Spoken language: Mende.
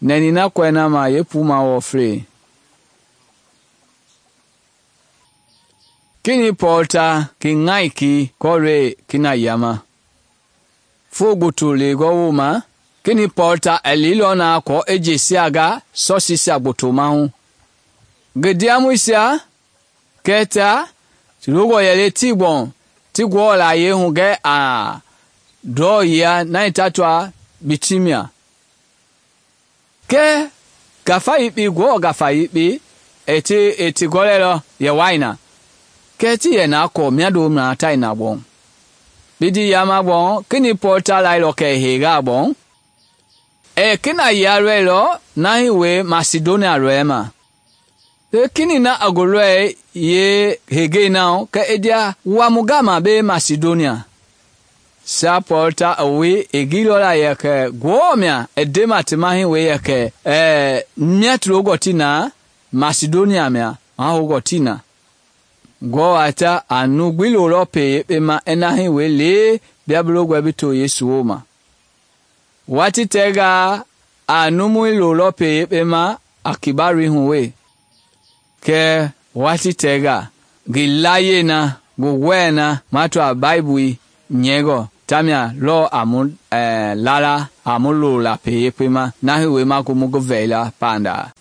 nɛni na kɔɛ na ma yeepuma wɔflei. Kini Paul ta ki ngai ki kɔlɔi kina yama. Fo gboto legɔ woma, kini Paul ta ɛlilɔ na kɔ ejesiaga sɔsisia gboto mahu. Ngi diamuisia kɛta ti longɔ yɛle tigbɔn ti Ngewɔ layie hugɛ a dɔɔyia na itatwa Bitimia. Kɛ gafa yekpe Ngewɔ gafa yekpe eti gɔlɛlɔ yɛ waina. Kɛ ti yɛ na kɔ miado na tai na gbɔn. Bidi yama gbɔn, kini Paul ta lailɔ kɛ hega gbɔn. Kina ya lɔɛlɔ nahi we Macedonia lɔɛma. Kini na a go lɔɛ ye hegei na kɛ edia wa mu gama be Macedonia. Sa Paul ta awe egilɔ la yɛ kɛ Ngewɔ mia edema ti mahi we yɛ kɛ mia ti longɔ ti na Macedonia mia mahogɔ ti na. Ngewɔ ta anu gbi lolɔ pe yekpe ma enahi we le bia bilongɔe bi to Yesu woma. Wati tɛga a numui lolɔ pe yekpe ma a kibari hu we. Kɛ wati tɛga ngi laye na ngi wɛ na mato a Baibui nyɛgɔ tamia lɔ amu lala amu lola pe yekpe ma nahi we ma ko mu ngi vɛila panda.